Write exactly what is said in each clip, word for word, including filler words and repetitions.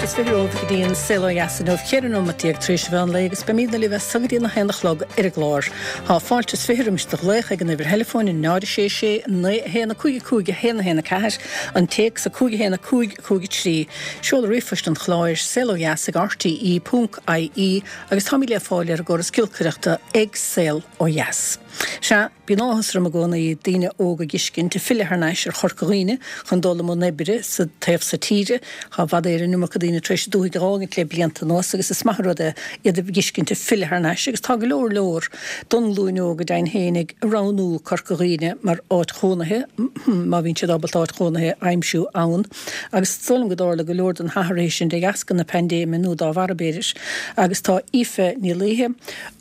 Nóiméad is fiche romhaibh go dtí an Saol Ó Dheas inniu, ceithre nóiméad déag tar éis an mheán lae agus beimidne libh as so go dtí a haon a chlog ar an gclár. Tá fáilte is fiche roimis do ghlaoch ag an uimhir theileafóin náid a sé sé naoi a haon a cúig a cúig a haon a haon a ceathair, an téacs a cúig a haon a cúig cúig a trí, seoladh ríomhphoist an chláir, saol ó dheas ag R T E ponc I E agus táimid le fáil ar an gcóras giolcaireachta ag Saol Ó Dheas. Sea, bíonn áthas orm i gcónaí daoine óga a fheiscint ag filleadh thar n-ais ar Chorca Dhuibhne chun dul i mbun oibre sa taobh so tíre. Tá i bhfad Éireann an iomarca daoine tar éis an dúthaigh a dh'fhágaint le blianta anuas agus is maith an rud é iad a fheiscint ag filleadh thar n-ais agus tá go leor leor don nglúin óg go deimhin féin ag roghnú Corca Dhuibhne mar áit chónaithe, má bhíonn siad ábalta áit chónaithe a aimsiú ann. Agus is dóigh liom go dtarla go leor den athraithe sin de dheasca na paindéime nó dá bharr b'fhéidir. Agus tá Aoife Ní Laoithe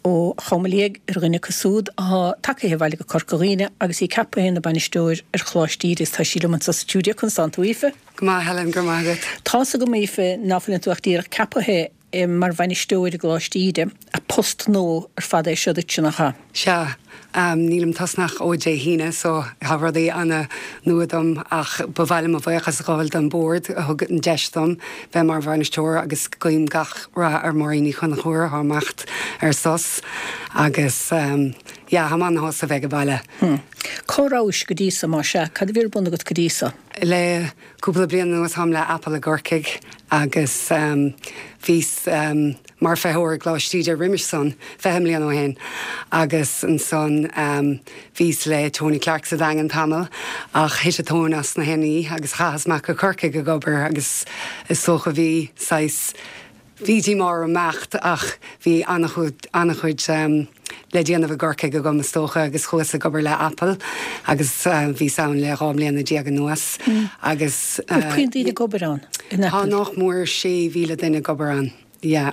ó Chom Liag ar dhuine acu siúd atá tagaithe abhaile go Corca Dhuibhne agus í ceaptha ina bainisteoir ar Choláiste Íde is tá sí liom anseo sa stiúideo. Conas tánn tú, Aoife? Go maith, Helen, go maith agat. Tá's agam, Aoife, ná fuileann tú ach díreach ceaptha mar bhainisteoir i gColáiste Íde, post nua ar fad é seo duit, nach ea? Sea, um, nílim tosnach ó Dé hAoine, so tá rudaí an-nua dom ach ba mhaith liom mo bhuíochas a ghabháil don bord a thug an deis dom bheith mar bhainisteoir agus guím gach rath ar Máirín Ní Chonchúir atá imeacht ar sos agus um, yeah, tá mé an-shásta bheith ag baile. Hmm. Cá rabhais go dtí so má sea, cad a bhí ar bun agat go dtí so? Le cúpla bliain anuas táim le Apple i gCorcaigh agus um, bhíos um, mar feitheoir i gColáiste Íde roimis san fiche bliain ó shin agus ansan um, bhíos le Tony Clark sa Daingean tamall ach thit an tóin as na héanaí agus chaitheas amach go Corcaigh ag obair agus is dócha bhí saghas bhí díomá orm imeacht ach bhí an-chuid um, le déanamh i gCorcaigh agam is dócha agus chuas ag obair le Apple agus uh, bhíos ann le dhá mbliana déag anuas mm. agus uh, puinn daoine ag obair ann in Tá Apple? Nach mór sé mhíle duine ag obair ann. Yeah.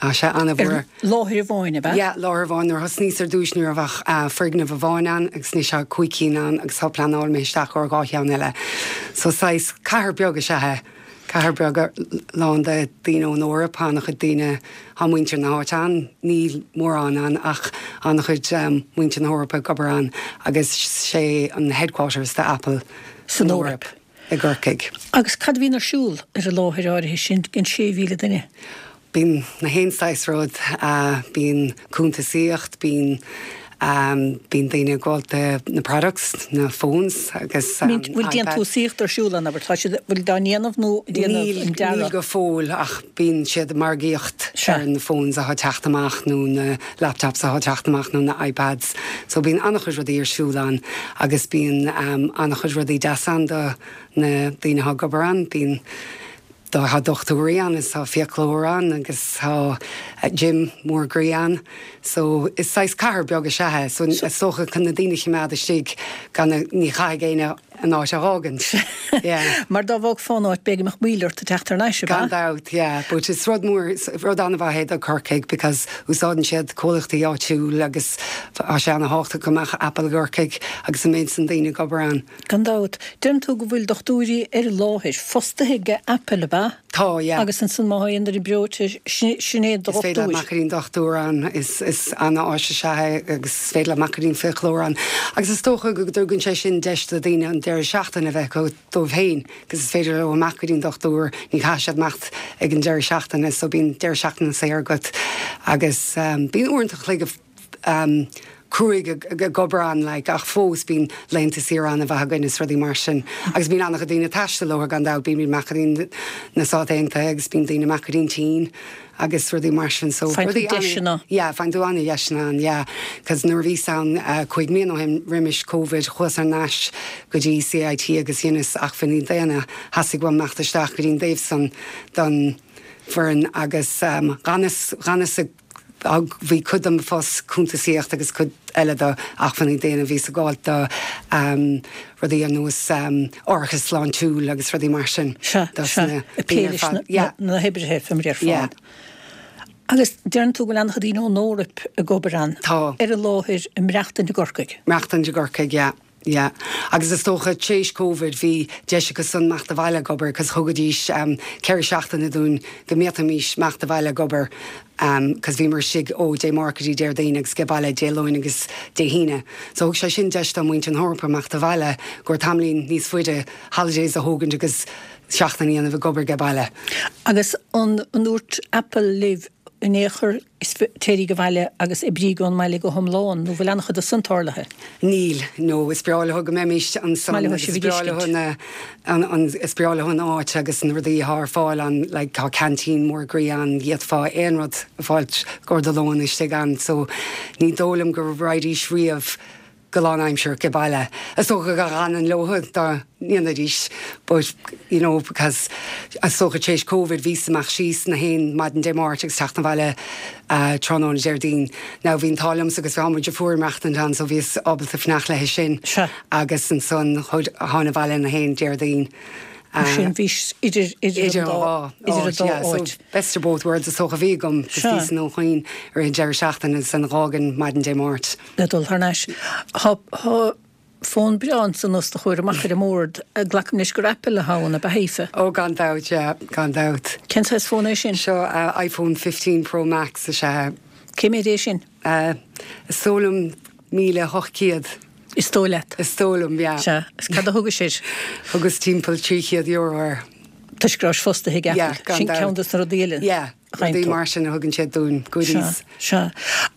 Tá sé an-mhór. Láthair amháin ab ea? Ja, láthair amháin nuair thosnaíos ar dtús ní raibh ach uh, foirgneamh amháin ann agus anois tá cúig cinn ann agus tá pleanáil mé isteach ar dhá cheann eile. So saghas cathair beag is ea é. Cathair beag lán de daoine ón Eoraip, an-chuid daoine tá muintir na háite ann, níl mórán ann ach an-chuid um, muintir na hEorpa ag obair ann agus sé an headquarters de Apple san Eoraip. I gCorcaigh. Agus cad a bhíonn ar siúl ar an láthair áirithe sin don sé mhíle duine? Bíonn na haon saghas rud, uh, bíonn cuntasaíocht, bíonn um, bíonn daoine ag gabháil do na products, na phones agus um, Bhfuil déantúsaíocht ar siúl ann, tá siad bhfuil dá ndéanamh nó déanamh Níl an níl dearadh? Go fóill ach bíonn siad margaíocht Sea. ar na phones atá teacht amach nó na laptops atá teacht amach nó na iPads. So bíonn an-chuid rudaí ar siúl ann agus bíonn um, an-chuid rudaí deas ann do na daoine atá ag obair ann, bíonn tá dochtúirí ann is tá fiaclóir ann agus tá gym mór groí ann. So is saghas cathair beag is ea é, so is dócha chun na daoine a choimeád istigh gan ní chaithfidh éinne an áit a fhágaint. Yeah. Mar dá bhfágfá an áit b'fhéidir go mbeadh moill ort teacht thar n-ais. Gan dabht, yeah, but is rud mór rud an-mhaith é do Corcaigh because úsáideann siad comhlachtaí áitiúil agus tá sé an-tábhachtach go mbeadh Apple i gCorcaigh agus an méid san daoine ag obair ann. Gan dabht, deireann tú go bhfuil dochtúirí ar an láthair fostaithe ag Apple ab ea? Tá, yeah. Agus ansan má théann ar an breoite sin é Is féidir dochtúir. amach go dtí an dochtúir ann is is an-áis is ea é agus is féidir amach go dtí an fiaclóir ann. Agus is dócha go dtugann sé sin deis do daoine an deireadh seachtaine a bheith acu dóibh féin, agus is féidir leo amach go dtí an dochtúir ní chaithfidh siad imeacht ag an deireadh seachtaine, so bíonn deireadh seachtaine saor agat agus um, bíonn uaireanta an chloig um, cruaidh ag obair ann like, ach fós bíonn laethanta saoire ann a bheith againn is rudaí mar sin. Agus bíonn an-chuid daoine ag taisteal ó gan dabht bíonn amach go dtí na Stáit Aontaithe agus bíonn daoine amach go dtí an tSín agus rudaí mar sin so Faigheann tú rudaí deiseanna. Yeah, faigheann tú an-deiseanna ann, yeah. Cos nuair a bhíos ann uh, cúig mbliana ó shin roimis COVID chuas thar n-ais go dtí C I T agus dheineas acmhainní daonna theastaigh uaim imeacht isteach go dtí an dtaobh san don foireann agus um, ganas ganas bhí cuid den phost cuntasaíocht agus cuid eile de acmhainní daonna bhí ag gabháil do um, rudaí ar nós um, árachas sláintiúil agus rudaí mar sin. Se Dos se na a daoine ar fad. Yeah. na hoibrithe fé mar ar Yeah. fad. Agus deireann tú go bhfuil an-chuid daoine ón Eoraip ag obair ann. Tá. Ar an láthair i mBreachtain i gCorcaigh. Maireachtaint i gCorcaigh, yeah. Yeah. Agus is dócha théis COVID bhí deis acu san imeacht abhaile ag obair, cos thugaidís um, ceithre seachtaine dúinn go bhféadfaimis imeacht abhaile ag obair um, cos bhíomar istigh ó Dé Máirt go dtí Déardaoin agus ag baile Dé Luain agus Dé hAoine. So thug sé sin deis do muintir na hEorpa imeacht abhaile gur tamaillín níos faide holidays a thógaint agus seachtain a dhéanamh ag obair age baile. Agus an ndúirt Apple libh in aon chor is téiríg abhaile agus oibríg ón mbaile go hiomlán, nó bhfuil an-chuid de san tarlaithe? Níl, no, is breá leo go mbeimis ansan agus is breá leo na, an, an, is breá leo an áit agus na rudaí atá ar fáil ann, like tá canteen mór groí ann, d'fhéadfá aon rud a fháilt i gcomhair do lóin istigh ann, so ní dóigh liom go raghaidís riamh go lánaimsearach age baile. Is dócha go bhfanfainn leo dá ndéanfaidís but you know because is dócha tar éis Covid bhíos amach síos na haon maidin Dé Máirt agus teacht abhaile tráthnóna Déardaoin. Now bhí an t-ádh liomsa agus bhí mo dheirfiúr ag maireachtaint ann so bhíos ábalta fanacht léi sin agus ansan thána abhaile na haon Déardaoin. Mar sin bhís idir idir an dá idir an dá áit. Best of both worlds is dócha a bhí agam agus bhíos i nDún Chaoin ar an deireadh seachtaine agus an dh'fhágainn maidin Dé Máirt. Le dul thar n-ais. Tá tá fón breá ansan os do chomhair amach ar an mbord. Glacaim leis gur Apple atá ann, ab ea Aoife? Ó gan dabht, yeah, gan dabht. Cén saghas fón é sin? Seo iPhone fifteen Pro Max is ea é. Cé mhéad é sin? Is dóigh liom míle hocht gcéad. Is dóigh leat? Is dóigh liom, yeah. Sea. Agus cad a thugais air? Thugas timpeall trí chéad euro air. Toisc go rabhais fostaithe ag Apple. Yeah, gan Sin dabht. ceann dos na rudaí eile Yeah, a gheibheann rudaí tú. mar sin a thugann siad dúinn, goodies. Sea, sea.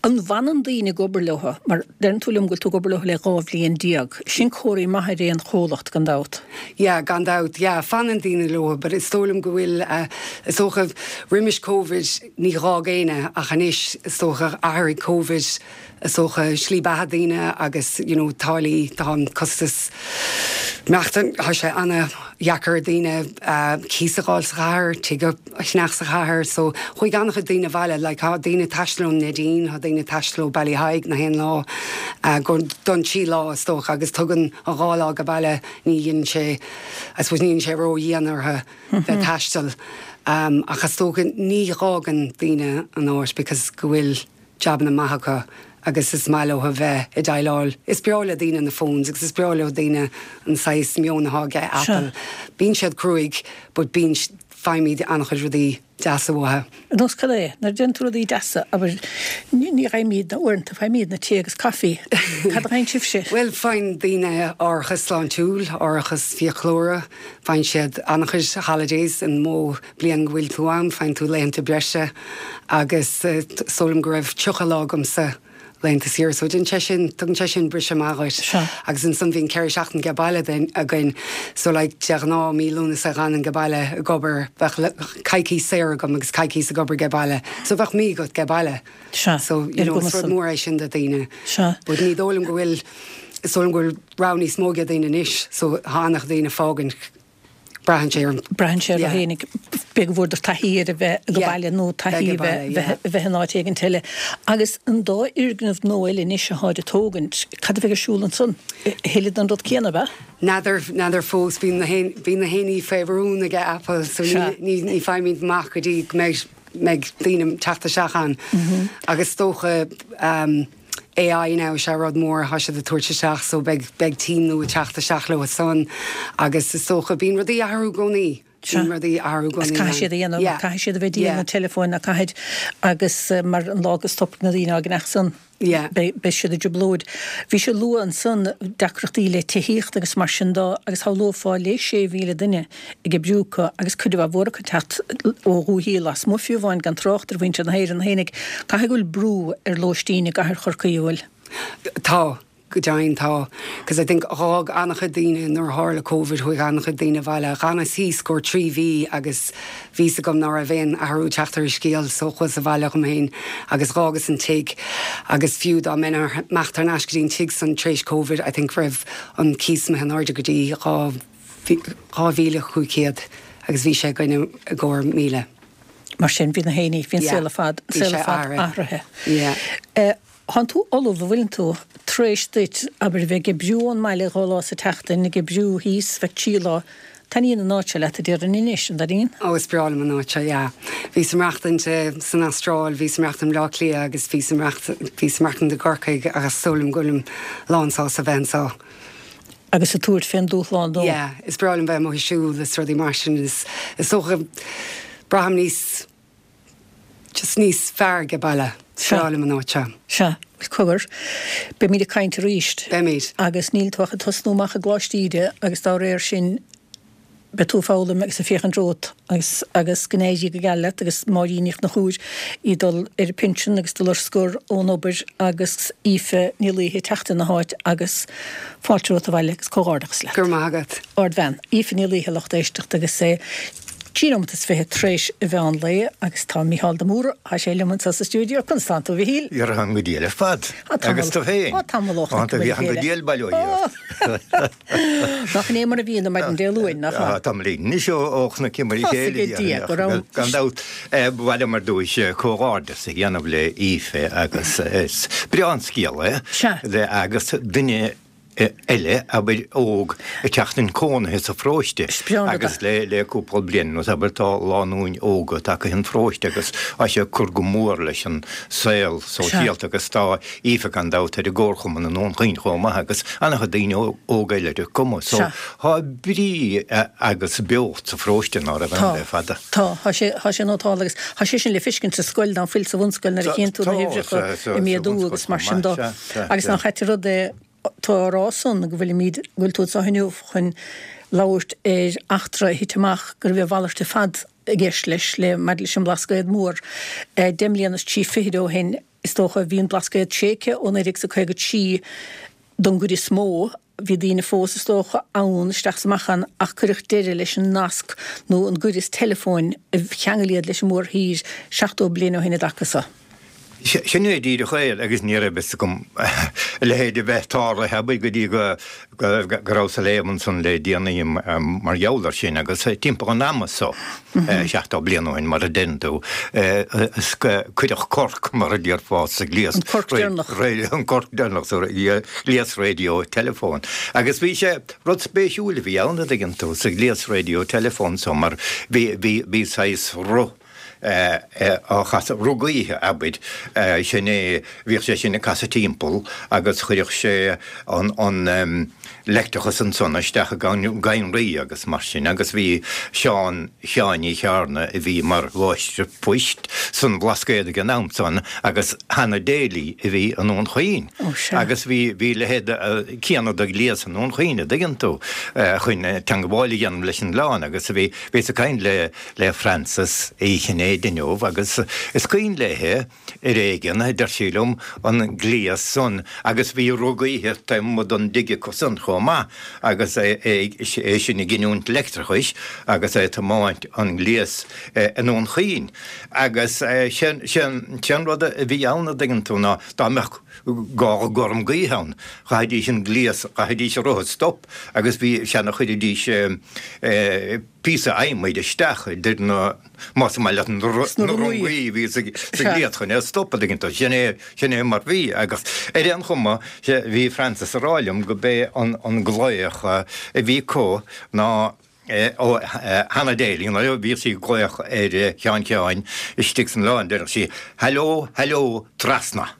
An bhfanann daoine ag obair leo? Mar deireann tú liom go bhfuil tú ag obair leo le dhá bhliain déag. Sin comhartha maith ar aon chomhlacht, gan dabht. Yeah, gan dabht, yeah, fanann daoine leo, but is dóigh liom go bhfuil, eh, is dócha, roimis Covid ní dh'fhág éinne ach anois is dócha athraigh Covid is dócha, slí beatha daoine agus you know táillí, tá an costas maireachtála, tá sé ana-dheacair ar daoine cíos a dh'fháil sa chathair, tigh a cheannach sa chathair so chuaigh an-chuid daoine abhaile, like tá daoine ag taisteal ón Neidín, tá daoine ag taisteal ó Ballyheigue na haon lá go don trí lá is dócha agus tugann an dhá lá age baile ní dhéanann sé, I suppose ní dhéanann sé ró-dhian orthu bheith ag taisteal ach is dócha ní dh'fhágann daoine an áit because go bhfuil jabanna maith acu agus is maith leo a bheith ag déileáil. Is breá le daoine na phones agus is breá leo daoine an saghas meon atá ag Apple. Bíonn siad cruaidh but bíonn, faighimid an-chuid rudaí deasa uathu. Ar nós cad é? Nuair a deireann tú rudaí deasa, abair, ní fhaighimidne uaireanta, faighimidne tae agus caife. Cad a fhaigheann sibhse? Bhuel, faigheann daoine árachas sláintiúil, árachas fiaclóra, faigheann siad an-chuid holidays, an mó bliain go bhfuil tú ann, faigheann tú laethanta breise agus is dóigh liom go raibh tríocha lá agamsa laethanta saoire so déanann sé sin, tugann sé sin briseadh maith dhuit. Sea. Agus ansan bhíonn ceithre seachtain age baile againn so like de ghnáth mí Lúnasa dh'fhanainn age baile ag obair, bheadh coicís saor agam agus coicís ag obair age baile so bheadh mí agat age baile. Sea. So you Ar know gcuma is rud san. mór é sin do dhaoine. Sea. But ní dóigh liom go bhfuil, is dóigh liom go bhfuil rogha níos mó age daoine anois so tá an-chuid daoine ag fágaint. Braitheann sé ar. Braitheann sé ar féinig. B'fhéidir go bhfuaireadar taithí ar a bheith age baile nó taithí a bheith bheith in áit éigint eile. Agus an dá fhoirgneamh nua eile anois atáid ag tógaint, cad a bheidh ar siúl ansan? A thuilleadh den rud céanna, ab ea? N'fheadar, n'fheadar fós. Bíonn na haon, bíonn na héinní faoi rún aige Apple so ní, ní, ní faighimid amach go dtí go mbeidh, mbeidh daoine ag teacht isteach ann. Agus is dócha, AI now is ea rud mór atá siad ag tabhairt isteach so beidh beidh team nua ag teacht isteach leo san agus is dócha bíonn rudaí ag athrú i gcónaí. Sea. Bíonn rudaí ag athrú i Agus gcónaí caithfidh siad a dhéanamh, Yeah. caithfidh siad a bheith ag díol Yeah. na teileafóin ná caithfidh agus mar an lá go stopfaidh na daoine á gceannach san Yeah. beidh beidh siad i dtrioblóid. Bhí sé luaite ansan deacrachtaí le tithíocht agus mar sin de agus shamhlófá le sé mhíle duine ag oibriú acu agus cuid mhaith mhór acu ag teacht ó dhúichí lasmuigh fiú amháin gan trácht ar mhuintir na hÉireann fhéinig. Caithfidh go bhfuil brú ar lóistín i gcathair Chorcaí, an bhfuil? Tá, go deimhin tá. Cos I think dh'fhág an-chuid daoine nuair a tharla Covid, chuaigh an-chuid daoine abhaile. Dh'fhanas thíos go trí mhí agus bhí 's agam ná raibh aon athrú ag teacht ar an scéal so chuas abhaile dhom fhéin agus dh'fhágas an tigh agus fiú dá mbeinn imeacht thar n-ais go dtí an tigh san tar éis Covid I think raibh an cíos imithe in airde go dtí dhá dhá mhíle chúig chéad agus bhí sé againne i gcomhair míle. Mar sin bhí na héinní, bhí an Yeah. saol ar fad, an Bhí saol sé ar fad athraithe. athraithe. Yeah. Eh, Thánn tú ullamh, an bhfuileann tú, tar éis duit, abair, a bheith ag oibriú ón mbaile dhá lá sa tseachtain, ag oibriú thíos, bheith trí lá, taitníonn an áit seo leat, a déarfainn anois, an dtaitníonn? Ó, is breá liom an áit seo, yeah. Bhíos ag maireachtaint san Astráil, bhíos ag maireachtaint i mBleá Cliath agus bhíos ag maireachtaint, bhíos ag maireachtaint i gCorcaigh agus is dóigh liom go bhfuilim lánsásta bheith anseo. Agus ag tabhairt fén dúshlán dó. Yeah, is breá liom bheith amuigh ag siúl is rudaí mar sin, is, is dócha, braithim níos, just níos fearr age baile. Is breá liom an áit seo. Sea. Bhuel, cogar, beimid ag caint arís. Beimid. Agus níl tú ach ag tosnú amach i gColáiste Íde agus dá réir sin Beidh tú ag foghlaim agus ag féachaint romhat agus agus go n-éirí go geal leat agus Máirín Ní Chonchúir í dul ar pinsean agus dul ar scor ón obair agus Aoife Ní Laoithe ag teacht ina háit agus fáilte romhat abhaile agus comhghairdeachas leat. Go raibh maith agat. Ardbhean, Aoife Ní Laoithe lucht éisteachta agus é trí nóiméad is fiche tar éis an mheán lae agus tá Mícheál de Mórdha, tá sé liom anseo sa stiúideo. Conas tánn tú, a Mhichíl? Dhera, táim go diail ar fad. Agus tú féin? Á, tamall ó chonaic muid a chéile. Go diail bail ó Dhia ort. Nach in é mar a bhíonn ar maidin Dé Luain, nach ea? Tá tamall anois ó chonaic muid a chéile. Tá Dia go raibh. Gan dabht, ba mhaith liom ar dtúis comhghairdeas a dhéanamh le Aoife agus is breá an scéal é. Sea. Agus duine eile, abair, óg ag teacht chun cónaithe sa pharóiste agus le le cúpla bliain anuas, abair, tá lánúin óga tagtha chun an pharóiste agus tá sé ag cur go mór leis an saol sóisialta agus tá Aoife gan dabht ar an gcomharchumann i nDún Chaoin chomh maith agus an-chuid daoine óga eile ar an gcuma so tá brí agus beocht sa pharóiste ná raibh ann le fada. Tá, tá sé, tá sé nótálta agus tá sé sin le feiscint sa scoil ná fuil sa bhunscoil nuair a chíonn tú na huimhreacha ag méadú agus mar sin dó. Agus nach ait an rud é Tú á rá san go bhfuilimid, go bhfuil tú anseo inniu chun labhairt ar eachtra a thit amach go raibh a mhalairt ar fad i gceist leis, le, maidir leis an mBlascaod Mór. Deich mbliana is trí fichid ó shin, is dócha, bhí an Blascaod tréigthe ó naoi déag is a caoga trí don gcuid is mó. Bhí daoine fós, is dócha, ann, isteach is amach ann, ach cuireadh deireadh leis an nasc nó an gaireas teileafóin a cheangail iad leis an mórthír seachtó bliain ó shin i dtaca so. Sin é díreach é agus ní raibh fhios agam a leithéid a bheith tarlaithe, abair, go dtí go rabhas ag léamh ansan le déanaí mar gheall air sin agus timpeall an ama so, seachtó bliain ó shin, mar a deireann tú, cuireadh corc, mar a déarfá, sa ghléas. An corc deireanach. An corc deireanach sa ghléas raidió teileafóin. Agus bhí sé, rud spéisiúil a bhí ann, a dtuigeann tú, sa ghléas raidió teileafóin so mar bhí, bhí, bhí saghas roth, á chasadh, roth gaoithe, abair, sin é, bhíodh sé sin ag casadh timpeall agus chuireadh sé an leictreachas ansan isteach i gcadhnraí agus mar sin agus bhí Seán Sheáin Uí Chearna a bhí mar mháistir poist san Bhlascaod ag an am san agus Hannah Daly a bhí i nDún Chaoin agus bhí bhí leithéid céanna de ghléas i nDún Chaoin a dtuigeann tú chun teangmháil a dhéanamh leis an oileán agus bhí bhíos ag caint le le Frances Uí Chinnéide inniu agus is cuimhin léi ar éigean, a deir sí liom, an gléas san agus bhí roth gaoithe taobh amuigh den dtigh acu san chomh maith agus é sin ag giniúint leictreachais agus é ag tiomáint an gléas i nDún Chaoin. Agus sé an rud a bhí ann, a dtuigeann tú, ná dá mbeadh gála gorm gaoithe ann, chaithfidís an gléas, chaithfidís an roth a stop agus bhí, sea, chuiridís píosa adhmaid isteach idir na, más maith leat, na rungaí a bhí sa ghléas chun é a stopadh, an dtuigeann tú. Sin é, sin é mar bhí. Agus ar aon chuma, bhí Frances ag rá liom go b'é an glaoch a bhí acu ná ó Hannah Daly, nuair a bhíodh sí ag glaoch ar Sheán Sheáin istigh san oileán, deireadh sí, Hello, hello, trasna.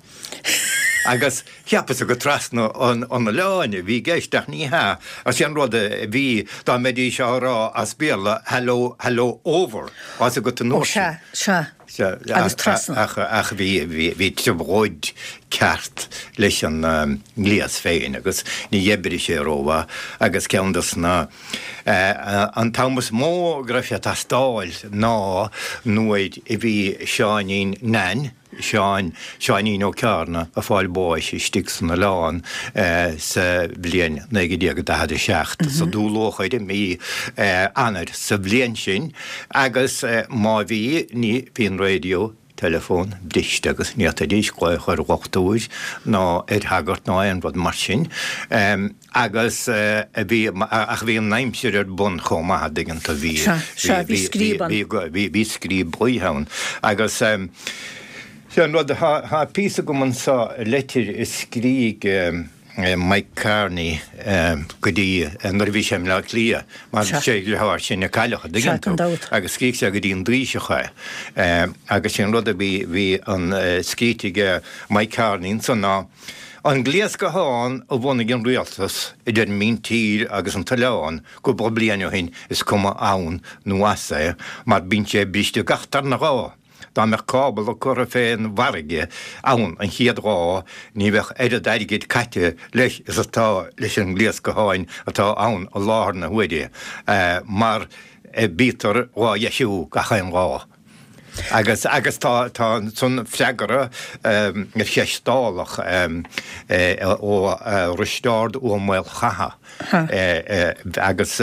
Agus cheapas-sa gur trasna an oileáin a bhí i gceist, ach ní hea. Ach sé an rud a bhí, dá mbeidís á rá as Béarla, hello, hello, over, tá 'fhios agat an uair sin. Ó, sea, sea, agus trasna. Ach, ach bhí, bhí, bhí trioblóid ceart leis an ngléas féin agus ní oibrigh sé rómhaith agus ceann dos na, an t-am is mó go raibh sé ag teastáil ná nuair a bhí Seáinín Nan, Seán, Seáinín Ó Cearna, ag fáil bháis istigh san oileán sa bhliain naoi déag daichead a seacht, sa Dúlóchair i mí Eanáir sa bhliain sin agus má bhí, ní, bhí an raidió, teileafón, briste agus ní fhéadfaidís glaoch ar dhochtúir ná ar shagart ná aon rud mar sin. Agus bhí, ach bhí an aimsir ar bun chomh maith, a dtuigeann tú, bhí, Sea, bhí scríob ann. bhí, bhí scríob gaoithe ann. Agus sé an rud, tá píosa agam anseo, leitir a scrígh Mike Kearney go dtí nuair a bhí sé i mBleá Cliath, mar sé a dheartháir sin a cailleadh, a dtuigeann tú, agus scrígh sé go dtí an Taoiseach é. Agus sé an rud a bhí, bhí an scríte aige Mike Kearney ansan ná, An gléas guthán a bhunaigh an rialtas idir an míntír agus an t-oileán cúpla bliain ó shin is cuma ann nó as é mar bíonn sé briste gach darna lá. dá mbeadh cábla curtha fén bhfarraige ann an chéad lá, ní bheadh oiread airgid caite leis is atá leis an ngléas gutháin atá ann i láthair na huaire, mar bítear dhá dheisiú gach aon lá. Agus agus tá tá ansan freagra ar cheist Dálach ó Risteárd Ó Maolchatha agus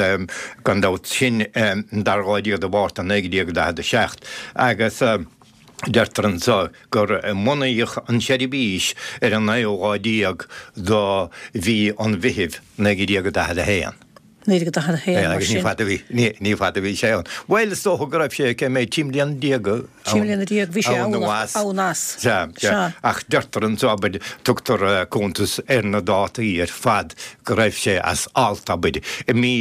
gan dabht sin an dara lá déag de Mhárta naoi déag daichead a seacht agus deirtear anso gur bunaíodh an tseirbhís ar an naoú lá déag de mhí an Mheithimh naoi déag daichead a haon. naoi déag daichead a haon, mar Agus ní sin. fada a bhí, ní, ní fada a bhí sé ann. Bhuel, is dócha go raibh sé, cé mhéad, trí mbliana déag ann. Trí mbliana déag, bhí sé ann ann nó ach, as. ann as. Sea, sea. Sea. Ach deirtear anso, abair, tugtar cuntas ar na dátaí ar fad go raibh sé as alt, abair, i mí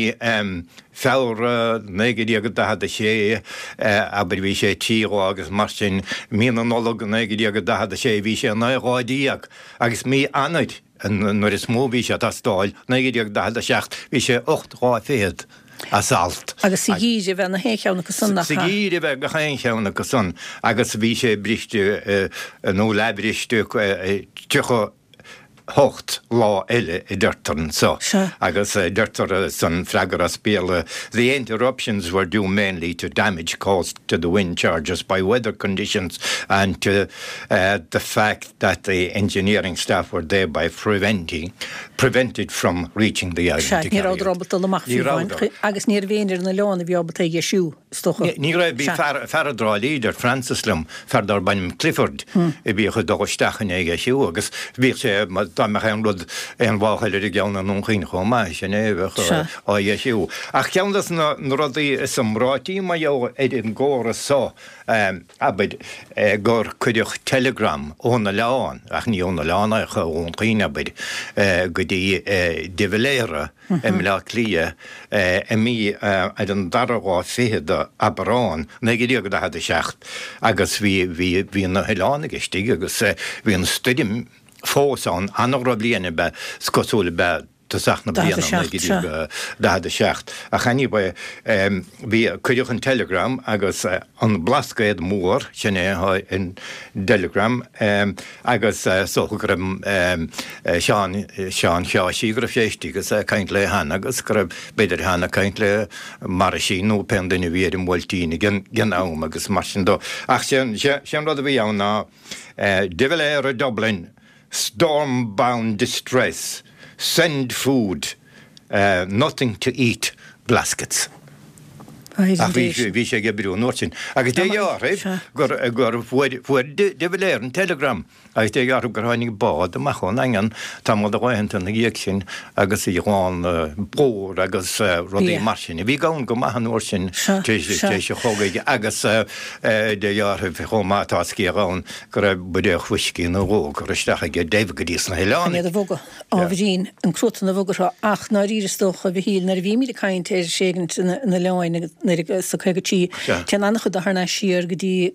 Feabhra naoi déag daichead a sé, abair, bhí sé trí lá agus mar sin, mí na Nollag naoi déag daichead a sé, bhí sé naoi lá déag agus mí Eanáir, Nuair is mó a bhí sé ag teastáil, naoi déag daichead a seacht, bhí sé ocht lá fichead as alt. Agus sa gheimhreadh a bheadh na haon cheann acu san, nach Sa ea? gheimhreadh a bheadh gach aon cheann acu san agus bhí sé briste nó leathbhriste tríocha hocht lá eile a deirtear anso. Sea. Agus deirtear san freagra as Béarla, The interruptions were due mainly to damage caused to the wind charges by weather conditions and to the fact that the engineering staff were thereby preventing prevented from reaching the island Sea, to ní carry rabhadar out. ábalta dul amach Ní fiú amháin, rabhadar. agus ní raibh éinne ar an oileán a bhí ábalta é a dheisiú, is dócha. Ní raibh, bhí Sea. fear, fear i dTrá Lí, deir Francis liom, fear darb ainm Clifford, a bhíodh ag dul isteach chun é a dheisiú agus bhíodh sé, dá mbeadh aon rud, aon mháchail ar an gceann i nDún Chaoin chomh maith, sin é a bheadh Sea. á dheisiú. Ach ceann des na rudaí is iomráití mar gheall ar an gcóras so, abair, gur cuireadh teileagram ón oileán, ach ní ón oileán ach ó Dhún Chaoin, abair, go dtí de Valera i mBleá Cliath i mí ar an dara lá fichead d'Aibreán, naoi déag daichead a seacht, agus bhí, bhí, bhí na hoileánaigh istigh agus bhí an stoirm fós ann, an-dhrochbhliain ab ea, is cosúil ab ea tosach na bliana naoi déag daichead a seacht. Ach anyway, bhí, cuireadh an teileagram agus an Blascaod Mór, sin é an dteileagram, agus is dócha go raibh Seán, Seán Sheáirsí, go raibh sé istigh agus é ag caint le Hannah agus go raibh, b'fhéidir Hannah ag caint le Marisín nó pé duine a bhí ar an mBuailtín ag an am agus mar sin dó. Ach sé an rud a bhí ann ná De Valera Dublin, Storm-bound distress, send food, nothing to eat, Blaskets. Ach bhí sé, bhí sé ag oibriú an uair sin. Agus dé dhealraimh gur, gur fuair, fuair de Valera an teileagram agus dé dhealraimh gur tháinig bád amach ón nDaingean tamall de laethanta ina dhiaidh sin agus í lán plúr agus rudaí mar sin a bhí gann go maith an uair sin tar éis an chogaidh agus dé dhealraimh chomh maith tá scéal ann go raibh buidéal fuiscí nó dhó curtha isteach aige Dev go dtí sna Chun hoileánaigh. iad a bhogadh, ábhairín, an cruatan a bhogadh orthu ach ndáiríre is dócha, a Mhichíl, nuair a bhímid ag caint ar thréigint na n-oileán agus nuair a sa caoga trí, téann an-chuid de thar n-ais siar go dtí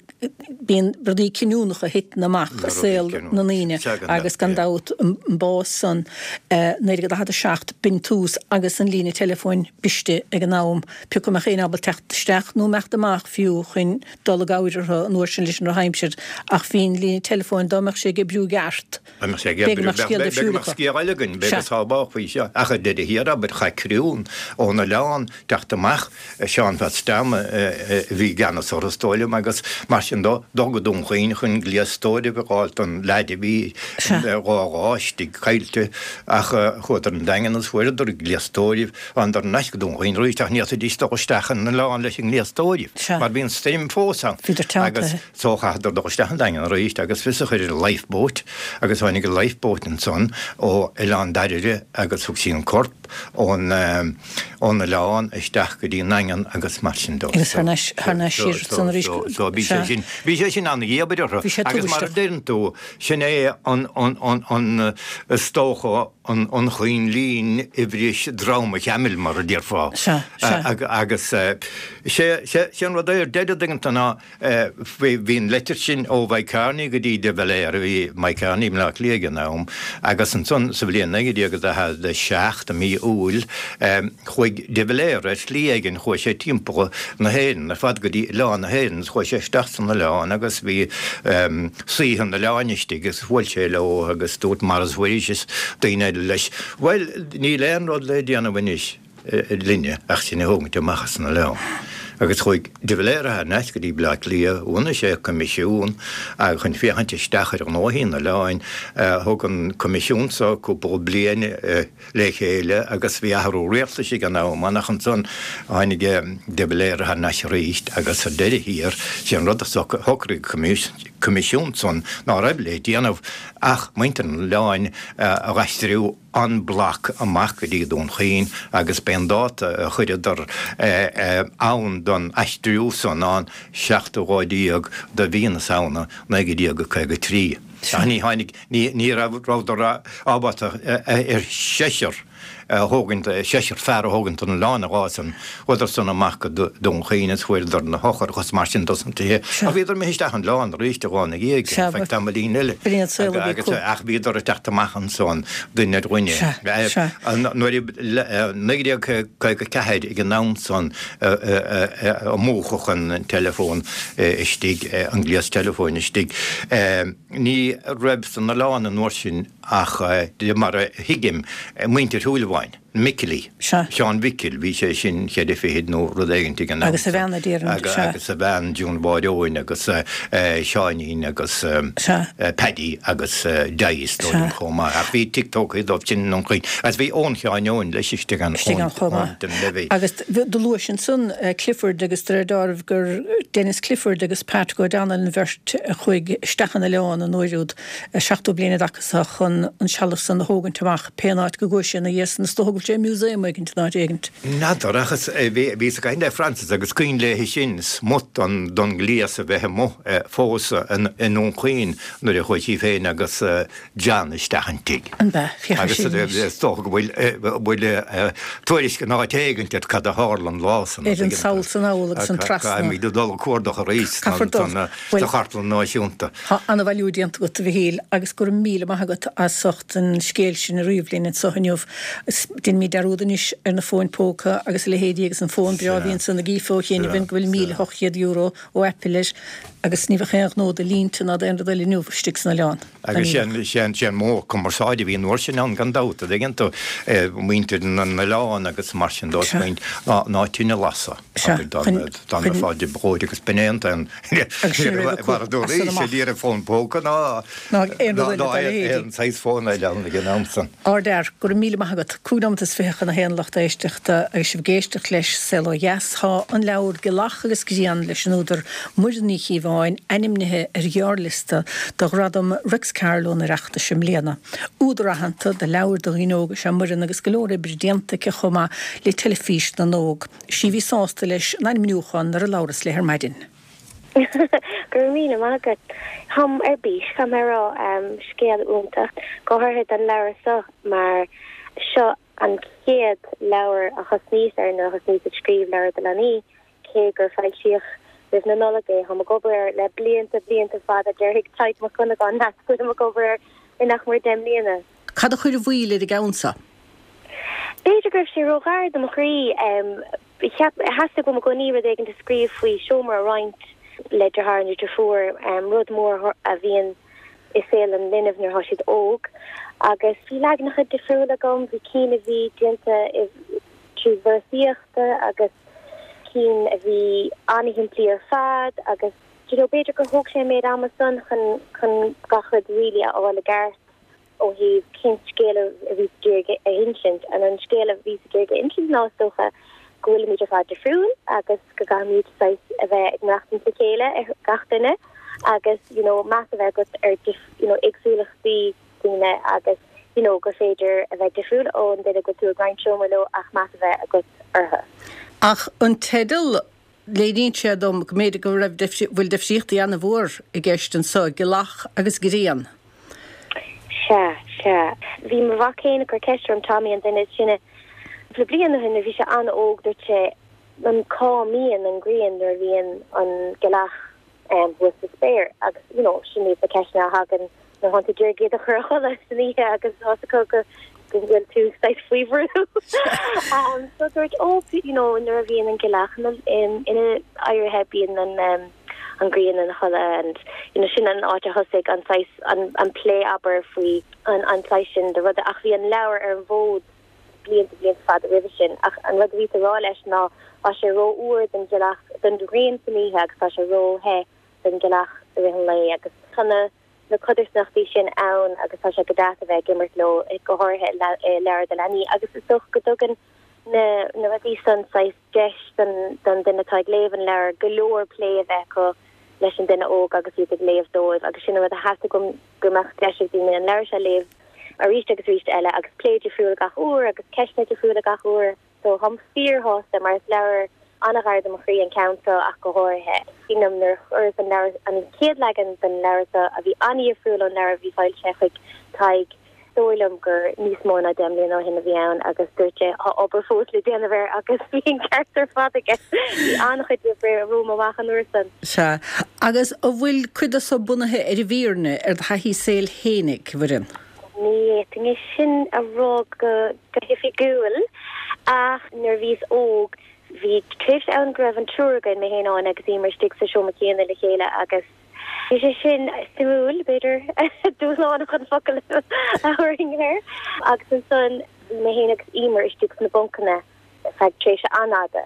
bíonn rudaí cinniúnacha a thiteann amach i saol na ndaoine agus gan dabht an bás san naoi déag daichead a seacht b'in tús agus an líne teileafóin briste ag an am pé acu mbeadh éinne ábalta teacht isteach nó imeacht amach fiú chun dul i gcabhair orthu an uair sin leis an drochaimsir ach bhí an líne teileafóin dá mbeadh sé ag oibriú i gceart Dá mbeadh sé ag oibriú b'fhéidir go mbeadh scéal eile againn b'fhéidir go sábhálfaí seo ach ar deireadh thiar abair chaith criú ón oileán teacht amach Seán Pheats Tom a bhí i gceannas orthu is dóigh liom agus mar sin dó, dul go Dún Chaoin chun gléas tórraimh a fháil don leaid a bhí dhá lá istigh caillte ach chuadar an Daingean agus fuaireadar gléas tórraimh, thánadar thar n-ais go Dún Chaoin arís ach ní fhéadfaidís dul isteach an oileán leis an ngléas tórraimh mar bhí an stoirm fós ann agus so chaitheadar dul isteach an Daingean arís agus fios a chur ar an lifeboat agus tháinig an lifeboat ansan ó Oileán Dairbhre agus thug sí an corp ón ón oileán isteach go dtí an nDaingean agus mar sin dó. Agus thar n-ais thar n-ais siar san arís So so bhí sé sin bhí sé sin an-dhíobair orthu Bhí sé agus mar a tubaisteach. deireann tú sin é an an an an is dócha an choinlín a bhris drom an chamaill, mar a déarfá. Sea, sea. Agus sé an rud é ar deireadh, an dtuigeann tú, ná bhí an leitir sin ó Mike Kearney go dtí de Valera, bhí Mike Kearney i mBleá Cliath ag an am, agus ansan sa bhliain naoi déag daichead a seacht i mí Iúil chuaigh de Valera ar shlí éigin, chuaigh sé timpeall na hÉireann ar fad go dtí oileán na hÉireann is chuaigh sé isteach san oileán agus bhí saoithe an oileáin istigh agus bhuail sé leo agus dúirt Maurice Mhuiris is daoine eile leis, bhuel níl aon rud le déanamh anois linne ach sinn a thógaint amach as an oileán. Agus chuaigh de Valera thar n-ais go dtí Bleá Cliath, bhunaigh sé coimisiún chun féachaint isteach ar ghnóthaí an oileáin. Thug an coimisiún so cúpla bliain le chéile agus bhí athrú rialtais ag an am ann ach ansan tháinig de Valera thar n-ais arís agus ar deireadh thiar, sé an rud a shocraigh an coimisiún san ná raibh le déanamh ach muintir an oileáin a dh'aistriú en bloc amach go dtí Dún Chaoin agus b'é an dáta a chuireadar ann don aistriú san ná an seachtú lá déag de mhí na Samhna naoi déag caoga trí. Ach ní tháinig, ní rabhadar ábalta ar seisear a thógaint, seisear fear a thógaint don oileán an lá san. Chuadar san amach go Dún Chaoin is fuaireadar na heochracha is mar sin dos na tithe. Ach bhíodar imithe isteach an oileán arís an lá ina dhiaidh, ar feadh tamaillín eile. Agus ach bhíodar ag teacht amach ansan duine ar dhuine. Nuair a naoi déag caoga ceathair ag an am san a múchadh an teileafón istigh, an gléas teileafóin istigh, ní raibh san oileán an uair sin ach de mar a thuigim, muintir Shúilleabháin, na Micilí, Seán Mhicil, bhí sé sin cheithre fichid nó rud éigint ag an am. Agus a bhean, a déarfainn, sea. Agus a bhean, June Mháire Eoin agus Seáinín agus Paddy agus Dai is dóigh liom chomh maith. Ach bhí tigh tógtha dóibh sin i nDún Chaoin. Agus bhí Eoin Sheáin Eoin leis istigh ann, Istigh ann chomh maith. Eoin den Levy. Agus do luais ansan Clifford agus de réir dealraimh gur Denis Clifford agus Patrick O'Donnell an bheirt a chuaigh isteach an oileán an uair úd. seachtó bliain ina dtaca so chun an sealbh san a thógaint amach pén áit go gcuaigh sé ina dhiaidh san is dócha go bhfuil sé i museum éigint in áit éigint. N'fheadar ach is bhíos ag caint le Frances agus cuimhin léi sin smut don don ghléas a bheith amuigh fós i nDún Chaoin nuair a chuaigh sí féin agus John isteach an tigh. An b'ea? Féach Agus sin anois. is dócha go bhfuil bhfuil tuairisc in áit éigint ar cad a tharla an lá san Ar an sall san fheall agus an trasna. Caithfimid dul ag cuardach arís Caithfear dul. sa Chartlann Náisiúnta. Tá an-bhailiú déanta agat, a Mhichíl, agus go raibh míle maith agat as ucht an scéal sin a ríomh linn anseo inniu. Déanfaimid dearúd anois ar na fóin póca agus a leithéidí agus an fón breá a bhí ansan ag Aoife ó chianaibh go bhfuil míle ocht gcéad euro ó Apple air agus ní bheadh aon ghnó do línte ná d'aon rud eile inniu istigh san oileán. Agus sé an modh cumarsáide a bhí an uair sin ann gan dabht, an dtuigeann tú, muintir na n-oileán agus mar sin dó ná tine a lasadh. Dá mbeifeá de bhróid agus b'in é an t-aon mar a dúradh, ní raibh fón póca ná aon saghas fón eile ann ag an am san. Ardfhear, go raibh míle maith agat. Cúig nóiméad is fiche chun a haon lucht éisteachta agus sibh ag éisteacht leis Saol Ó Dheas. Tá an leabhar Gealach agus Grian leis an údar Muireann Ní Chíobháin ainmnithe ar ghearrliosta do Ghradam Réics Carló an Oireachtais i mbliana. Údar aitheanta do leabhair do dhaoine óga is ea Muireann agus go leor oibre déanta aici chomh maith le Teilifís na nÓg. Is í a bhí sásta leis an ainmniúchán nuair a labhras léi ar maidin. Go raibh míle maith agat. Táim ar bís, caithfidh mé a rá, scéal iontach, go háirithe don leabhar seo mar seo an chéad leabhar a thosnaíos air nuair a thosnaíos ag scríobh leabhar do leanaí, cé gur foilsíodh roimh na Nollag é. Táim ag obair air le blianta, blianta fada, déarfaidh Tadhg Mac Dhonnagáin leat go bhfuilim ag obair air le nach mór deich mbliana. Cad a chuir an mhoill ar an gceann seo? B'fhéidir go raibh sé róghar do mo chroí. Cheap, theastaigh uaim i gcónaí rud éigin a scríobh faoi seomra a roinnt le deartháir nó deirfiúr, rud mór a bhíonn i saol an linbh nuair atá siad óg. Agus bhí leaganacha difriúla agam, bhí cinn a bhí déanta trí véarsaíochta agus cinn a bhí an-shimplí ar fad agus do you know b'fhéidir gur thóg sé an méid ama san chun chun gach rud really a fháil i gceart ó thaobh cén scéal a bhíos ag iarraidh a insint. And an scéal a bhíos ag iarraidh a insint ná is dócha go bhfuilimid ar fad difriúil agus go gcaithfimid saghas a bheith ag maireachtaint le chéile ar gach duine agus you know meas a bheith agat ar you know éagsúlachtaí daoine agus you know gur féidir a bheith difriúil ón duine go bhfuil tú ag roinnt seomra leo ach meas a bheith agat orthu. Ach an teideal, léiríonn sé dom go mb'fhéidir go raibh bhfuil difríochtaí an-mhór i gceist anseo, Gealach agus Grian. Sea, sea. Bhí mo mhac féin ag cur ceist orm, Tommy, an duine is sine, cúpla bliain ó shin nuair a bhí sé an-óg, dúirt sé, an cá mbíonn an ghrian nuair a bhíonn an ghealach thuas sa spéir? Agus, you know, sin iad na ceisteanna a thagann nuair atánn tú ag iarraidh iad a chur a chodladh san oíche agus tá fhios acu go go bhfuil tú saghas faoi bhrú. So dúirt, oh, you know, nuair a bhíonn an ghealach ina ina éirithe bíonn an um, an ghrian ina chodladh and you know, sin an áit a thosaigh an saghas an, an plé abair faoi an, an saghas sin de ruda ach bhí an leabhar ar an bhfód blianta blianta fada roimhe sin ach an rud a bhí a rá leis ná tá sé rófhuar don ghealach don ghrian san oíche agus tá sé róthe don ghealach i rith an lae agus tá na na codarsnachtaí sin ann agus tá sé go deas a bheith ag imirt leo go háirithe i leabhar do leanaí agus is dócha go dtugann na na rudaí san saghas deis don don duine atá ag léamh an leabhar go leor plé a bheith acu leis an duine óg agus iad ag léamh dóibh agus sin an rud a theastaigh uaim go mbeadh deis ag daoine an leabhar seo a léamh arís agus arís eile agus plé difriúil gach uair agus ceisteanna difriúla gach uair so táim fíorshásta mar is leabhar an-ghar do mo chroí an ceann seo ach go háirithe. Sílim nuair a chuireas an leabhar an chéad leagan den leabhar seo a bhí an-difriúil ón leabhar a bhí foilsithe chuig Tadhg dóigh liom gur níos mó ná deich mbliana ó shin a bhí ann agus dúirt sé tá obair fós le déanamh air agus bhí an ceart ar fad aige. Bhí an-chuid oibre romham amach an uair san. Sea. Agus an bhfuil cuid de seo bunaithe ar an bhfírinne, ar do thaithí saoil fhéinig, a Mhuireann? Ní fhéadfainn é sin a rá go hoifigiúil ach nuair a bhíos óg bhí tréimhse ann go raibh an triúr againn, mé féin, Áine agus Emer istigh sa seomra céanna le chéile agus bhí sé sin suimiúil, b'fhéidir, dúshlánach an focal a thabharfainn air. Agus ansan bhí mé féin agus Emer istigh sna buncanna feadh tréimhse an-fhada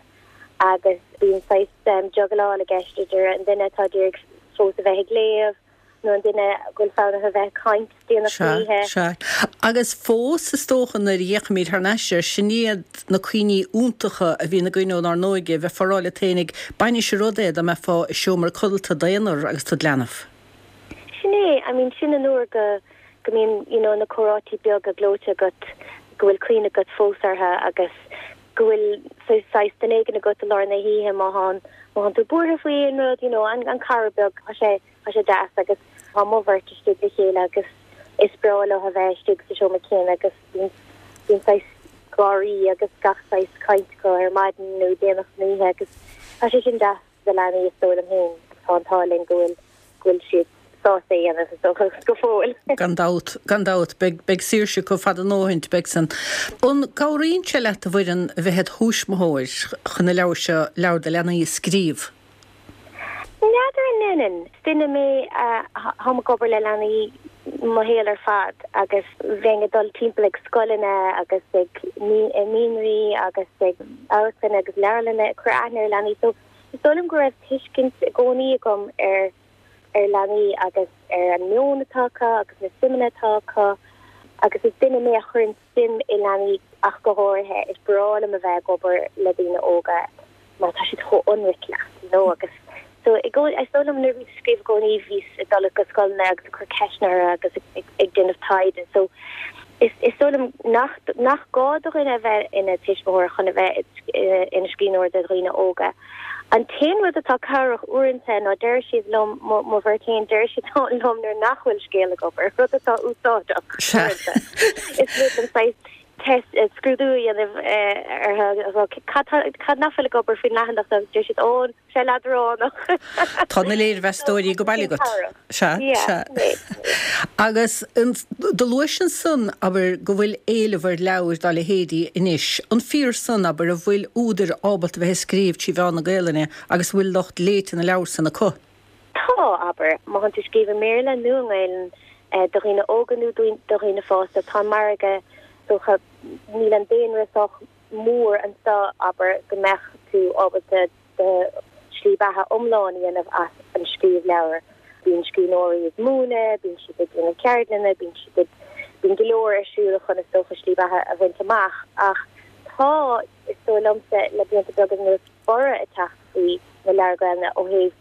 agus bíonn saghas juggleáil i gceist idir an duine atá ag iarraidh fós a bheith ag léamh, nó an duine go bhfuil fonn orthu a bheith ag caint déanach Sea, oíche. sea. Agus fós, is dócha, nuair a fhéachaimid thar n-ais air, sin iad na cuimhní iontacha a bhíonn againn ónár n-óige, bheifeá ag rá leat fhéinig, b'ainnis an rud é dá mbeifeá i seomra codlata d'aonar agus tú id leanbh. Sin é, I mean, sin an uair go, go mbíonn, you know, na comhráití beaga gleoite agat, go bhfuil cuimhne agat fós orthu agus go bhfuil saghas duine éigin agat i lár na hoíche má thánn, má thánn tú buartha faoi aon rud, you know, an, an cara beag, tá sé, tá sé deas agus tá mo bheirt istigh le chéile agus is breá leo a bheith istigh sa seomra céanna agus bíonn, bíonn saghas gáirí agus gach saghas caint acu ar maidin nó déanach san oíche agus tá sé sin deas do leanaí is dóigh liom féin agus tá an t-ádh linn go bhfuil, go bhfuil siad sásta é a dhéanamh is dócha go fóill. Gan dabht, gan dabht, beidh, beidh saoirse acu fada a ndóthaint, beidh san. An gcabhraíonn sé leat a Mhuireann a bheith id thuismitheoir chun na leabhair seo, leabhair do leanaí a scríobh? N'fheadar an ndéanann. Is duine mé a, táim ag obair le leanaí mo shaol ar fad agus bheinn ag dul timpeall ag scoileanna agus ag naíonraí agus ag amharclanna agus leabharlanna ag cur aithne ar leanaí so is dóigh liom go raibh tuiscint i gcónaí agam ar ar leanaí agus ar an meon atá acu agus na suimeanna atá acu agus is duine mé a chuireann suim i leanaí ach go háirithe. Is breá liom a bheith ag obair le daoine óga mar tá siad chomh ionraic leat, you know, agus so i gcónaí, is dóigh liom nuair a bhíos ag scríobh i gcónaí bhíos ag dul go scoileanna agus ag cur ceisteanna orthu agus ag, ag, ag déanamh taighde. So is, is dóigh liom nach, nach gá do dhuine a bheith ina tuismitheoir chun a bheith ina scríbhneoir do dhaoine óga. An t-aon rud atá cabhrach uaireanta ná deir siad liom, mo, mo bheirt féin, deir siad liom nuair nach bhfuil scéal ag obair, rud atá úsáideach uaireanta. Is rud an saghas test, scrúdú a dhéanamh orthu, cad, cad nach bhfuil ag obair faoin leathanach seo, deir siad, ó, sé leadránach. Tá na léirmheastóirí go bailí agat. Sea, sea. Agus do luais ansan, abair, go bhfuil éileamh ar leabhair dá leithéidí anois. An fíor san, abair, an bhfuil údair ábalta bheith ag scríobh trí mheán na Gaelainne agus an bhfuil lucht léite na leabhar san acu? Tá, abair, má thánn tú ag scríobh i mBéarla nó i nGaelainn do dhaoine óga nó do dhaoine fásta, tá an margadh, is dócha, níl an daonra sách mór anseo, abair, go mbeadh tú ábalta do shlí beatha iomlán a dhéanamh as an scríobh leabhar. Bíonn scríbhneoirí ag múineadh, bíonn siad ag déanamh ceardlanna, bíonn siad ag, bíonn go leor ar siúl chun is dócha slí beatha a bhaint amach ach tá, is dóigh liomsa, le blianta beaga anuas borradh ag teacht faoi na leabhair Ghaelainne ó thaobh,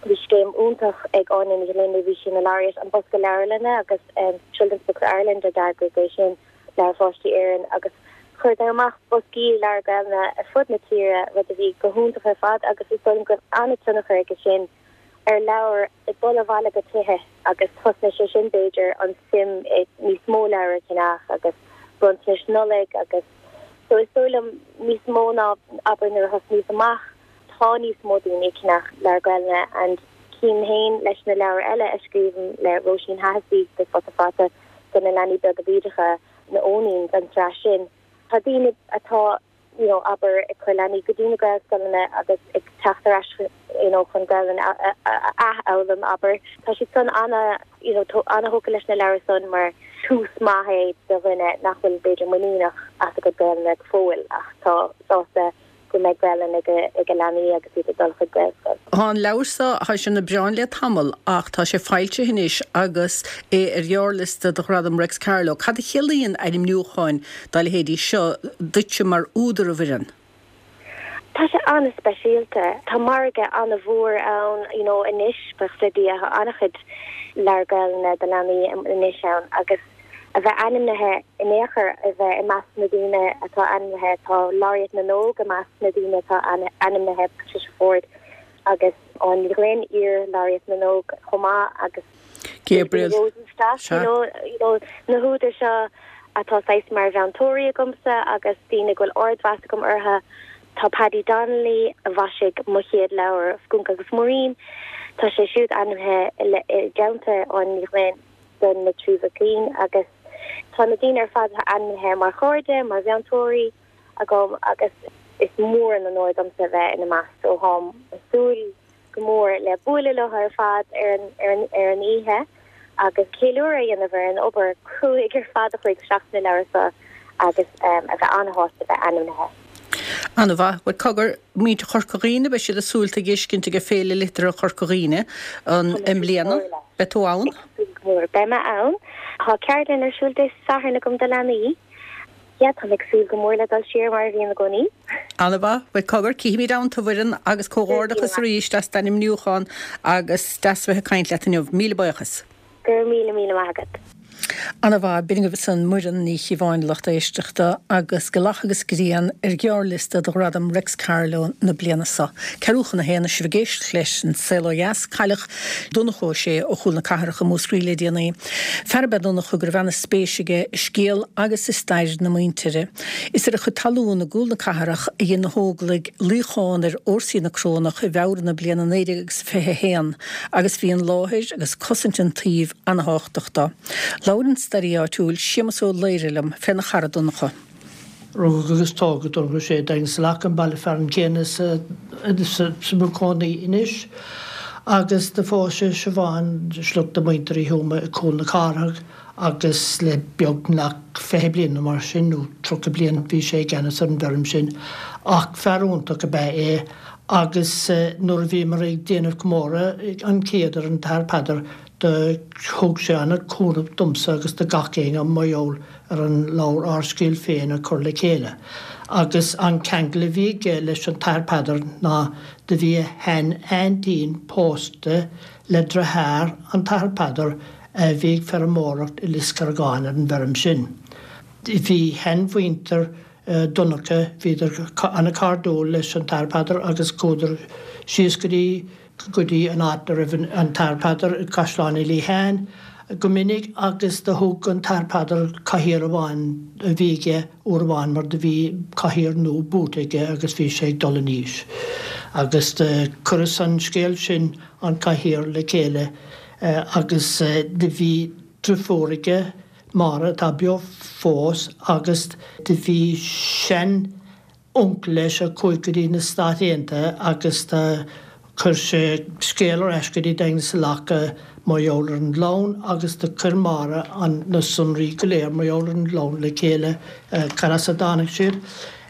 bhí scéim iontach ag Áine Ní Ghlinn nuair a bhí sí ina Laureate, an Bosca Leabharlainne agus Children's Books Ireland a d'eagraigh é sin, Leabhair Pháistí Éireann agus chuireadar amach boscaí leabhar Gaelainne ar fud na tíre, rud a bhí go hiontach ar fad agus is dóigh liom go raibh an-tionchar aige sin ar leabhair ag dul abhaile go tithe agus thosnaigh sé sin b'fhéidir an suim i níos mó leabhar a cheannach agus bronntanais Nollag agus so is dóigh liom níos mó ná abair nuair a thosnaíos amach tá níos mó daoine ag ceannach leabhar Gaelainne and cím féin leis na leabhair eile a scríobhaim le Róisín Hahessy de Futa Fata do na leanaí beaga bídeacha na Eoiníns an tsraith sin tá daoine atá you know abair ag cur leanaí go dtí na Gaelscoileanna agus ag teacht ar ais you know chun Gaelainn a athfhoghlaim abair tá siad san ana you know ana-thógtha leis na leabhair san mar tús maith é do dhuine nach bhfuil b'fhéidir muiníneach as a gcuid Gaelainne go fóill ach tá sásta go mbeidh Gaelainn ag ag a leanaí agus iad ag dul chuig Gaelscoil. Tá an leabhar seo tá sé ar na bioráin le tamall ach tá sé foilsithe anois agus é ar ghearrliosta do Ghradam Réics Carló. Cad a chiallaíonn ainmniúcháin dá leithéidí seo duitse mar údar a Mhuireann? Tá sé an-speisialta. Tá margadh an-mhór ann you know anois buíochas le Dia tá an-chuid leabhar Gaelainne do leanaí anois ann agus a bheith ainmnithe in aon chor, a bheith i measc na daoine atá ainmnithe, tá Laureate na nÓg i measc na daoine atá ainmnithe, Patricia Forde agus Áine Ní Ghlinn, iar-Laureate na nÓg chomh maith agus Gabriel Rosenstock, you know, you know, na húdair seo atá saghas mar mheantóirí agamsa agus daoine go bhfuil ardmheas agam orthu. Tá Paddy Donnelly a mhaisigh mo chéad leabhar Skunk agus Muirín, tá sé siúd ainmnithe i dteannta Áine Ní Ghlinn. do na trí mhic léinn agus tá na daoine ar fad ainmnithe mar chairde, mar mheantóirí agam agus is mór an onóir domsa bheith ina measc so táim ag súil go mór le bualadh leo ar fad ar an ar an ar an oíche agus ceiliúradh a dhéanamh ar an obair cruaidh ar fad a chuaigh isteach sna leabhair seo agus um, a bheith an-shásta bheith ainmnithe. An-mhaith. Bhuel cogar, muintir Chorca Dhuibhne, beidh siad ag súil tú a fheiscint ag Féile Liteartha Chorca Dhuibhne an i mbliana. Beidh tú ann? Mór beidh mé ann. Tá ceardlann ar siúl Dé Sathairn agam do leanaí. Yeah, tá ag súil go mór le dul siar mar a bhíonn i gcónaí. An-mhaith. Bhuel cogar, cífimid ann tú a Mhuireann agus comhghairdeachas arís as d'ainmniúchán agus deas bheith ag caint leat inniu. Míle buíochas. Go raibh míle míle maith agat. An-mhaith, b'in agaibh ansan Muireann Ní Chíobháin lucht éisteachta agus Gealach agus Grian ar ghearrliosta do Ghradam Réics Carló na bliana seo. Ceathrú chun a haon sibh ag éisteacht leis an Saol Ó Dheas, cailleadh Donncha Ó Sé ó Chúl na Cathrach i Múscraí le déanaí. Fear ab ea Donncha go raibh an-spéis aige i scéal agus i stair na muintire. Is ar a chuid talún i gCúl na Cathrach a dhein na hÓglaigh luíochán ar fhórsaí na Corónach i bhFeabhra na bliana naoi déag agus fiche a haon agus bhí an láthair agus cosaint an tsuímh an-tábhachtach dó. Labhair an staraí áitiúil Séamus Ó Laoire liom féna chara Donncha. Rugadh agus tógadh Donncha Ó Sé i Daingean sa Leac, an baile fearainn céanna sa sa cónaí anois, agus do phós sé Siobhán, sliocht de mhuintir Uí Thuama i Cúl na Cathrach, agus le beagnach fiche bliain nó mar sin, nó tríocha bliain, bhí sé i gceannas ar an bhfeirm sin. Ach fear iontach ab ea é agus nuair a bhíomar ag déanamh comóradh an chéad ar an tAthair Peadar, Do thug sé an-chúnamh domsa agus do gach éinne mar gheall ar an leabhar Ár Scéal Féin a chur le chéile. Agus an ceangal a bhí aige leis an tAthair Peadar ná do bhí a shean-aintín pósta le deartháir an tAthair Peadar a bhí ag feirmeoireacht i Lios Carragáin ar an bhfeirm sin. Bhí shean-mhuintir Donncha, bhíodar an-chairdiúil leis an tAthair Peadar agus chuadar síos go dtí go dtí an áit a raibh an tAthair Peadar, Caisleán Uí Liatháin, go minic agus do thug an tAthair Peadar cathaoir amháin a bhí aige uair amháin mar do bhí cathaoir nua buaite aige agus bhí sé ag dul in aois. Agus do chuireas an scéal sin, an cathaoir, le chéile agus do bhí driofúr aige, Máire, atá beo fós agus do bhí sean uncail leis a chuaigh go dtí na Stáit Aontaithe agus do chuir sé scéal ar ais go dtí Daingean sa Leac mar gheall ar an gclann agus do chuir Máire an na sonraí go léir mar gheall ar an gclann le chéile cad as a dtáinig siad.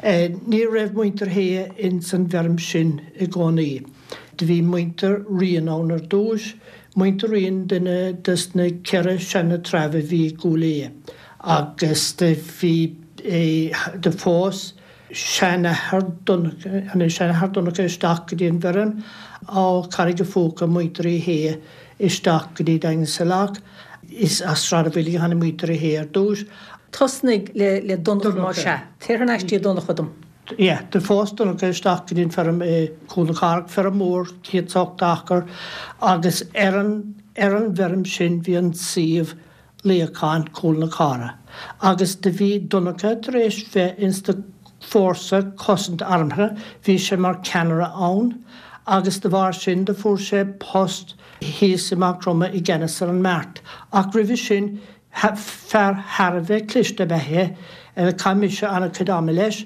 Ní raibh muintir Shéaghdha ins an bhfeirm sin i gcónaí. Do bhí muintir Riain ann ar dtúis, muintir Riain duine des na ceithre seana treabh a bhí i gCúil Aodha agus do bhí do phós seanathair Seanathair Donncha isteach go dtí an bhfeirm ó Charraig a' Phúca, muintir Uí Shéaghdha isteach go dtí Daingean sa Leac. Is as Sráid a' Bhaoilligh a tháinig muintir Uí Shéaghdha ar dtús. Tosnaigh le le Donncha más ea. Téir thar n-ais dtí Donncha dom. Yeah, do phós Donncha isteach go dtí an feirm i Cúl na Cathrach, feirm mhór, céad is ochtó acre, agus ar an ar an bhfeirm sin bhí an suíomh Luíochán Chúl na Cathrach agus do bhí Donncha tar éis bheith ins na fórsa cosanta armtha, bhí sé mar ceannaire ann agus de bharr sin do fuair sé post thíos i Maigh Chromtha i gceannas ar an mbeart. Ach roimhe sin, fear thar a bheith cliste ab ea é, chaith mise an-chuid ama leis.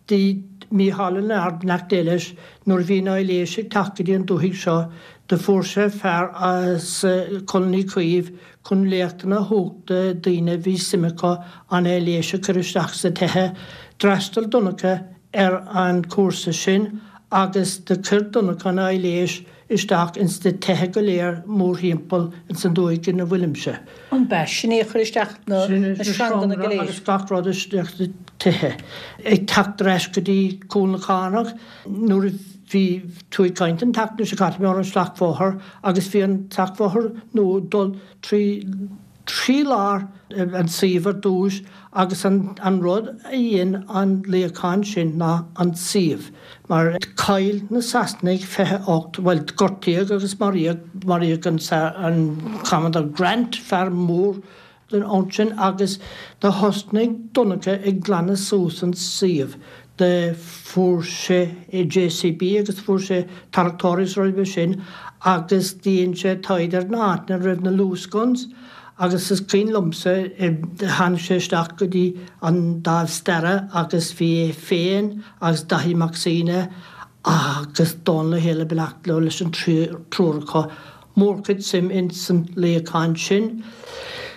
Bhí Mícheál Ó Leonard, neacht Dé leis, nuair a bhí an aibhléis ag teacht go dtí an dúthaigh seo, do fuair sé fear as Coln Uí Chaoimh chun léachtanna a thabhairt do daoine a bhí suim acu an aibhléis a chur isteach sna tithe. D'fhreastail Donncha ar an chúrsa sin agus do chuir Donncha an aibhléis isteach ins na tithe go léir mórthimpeall ins an dúthaigh ina bhfuilimse. An b'ea? Sin é a chuir isteach na sreanganna go léir. Agus gach rud isteach sna tithe. Ag teacht ar ais go dtí Cúl na Cathrach nuair a bhí tú ag caint an tseachtain seo caite ar an Slachtbhóthar agus bhí an Slachtbhóthar nua ag dul trí trí lár an tsuímh ar dtús agus an an rud a dhein an luíochán sin ná an suíomh mar chaill na Sasanaigh fiche ocht, bhuel gortaíodh agus maraíodh, maraíodh an an Commodore Grant, fear mór den ansin agus do thosnaigh Donncha ag glanadh suas an suíomh. Do fuair sé JCB agus fuair sé tarractóirí is roimhe sin agus dhein sé taighde ar na háiteanna a raibh na Lewis guns agus is cuimhin liomsa tháinig sé isteach go dtí an Dámh Staire agus bhí é féin agus Daithí Mac Suibhne agus Dónal Ó hÉalaithe beannacht leo leis an triúr acu. Mórchuid suim ins an luíochán sin.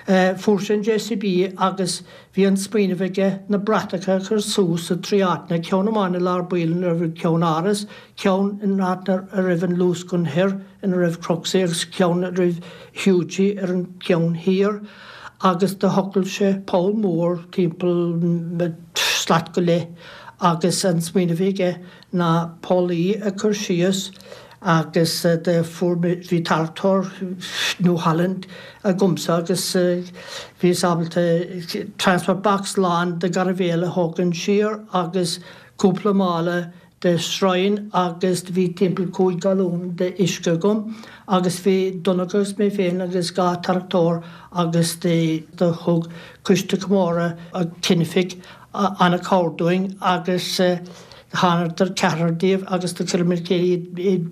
Fuair sé an JCB agus bhí an smaoineamh aige na bratacha a chur suas i dtrí áiteanna, ceann amháin i lár baill ina raibh an ceannáras, ceann in áit a raibh an Lewis gun thoir ina raibh Cropsey agus ceann roimh Hughie ar an gceann thiar agus do thochail sé poll mór timpeall slat go leith agus an smaoineamh a bhí aige ná pollaí a chur síos agus do fuair mé, bhí tarractóir New Holland agamsa agus bhíos ábalta transport box lán de ghairbhéal a thógaint siar agus cúpla mála de stroighin agus do bhí timpeall cúig galún de uisce agam agus bhí Donncha agus mé féin agus dhá tarractóir agus do thug Coiste Comórtha Chinnfidh an-chabhair dúinn agus Thánadar ceathrar díobh agus do chuireamar le chéile iad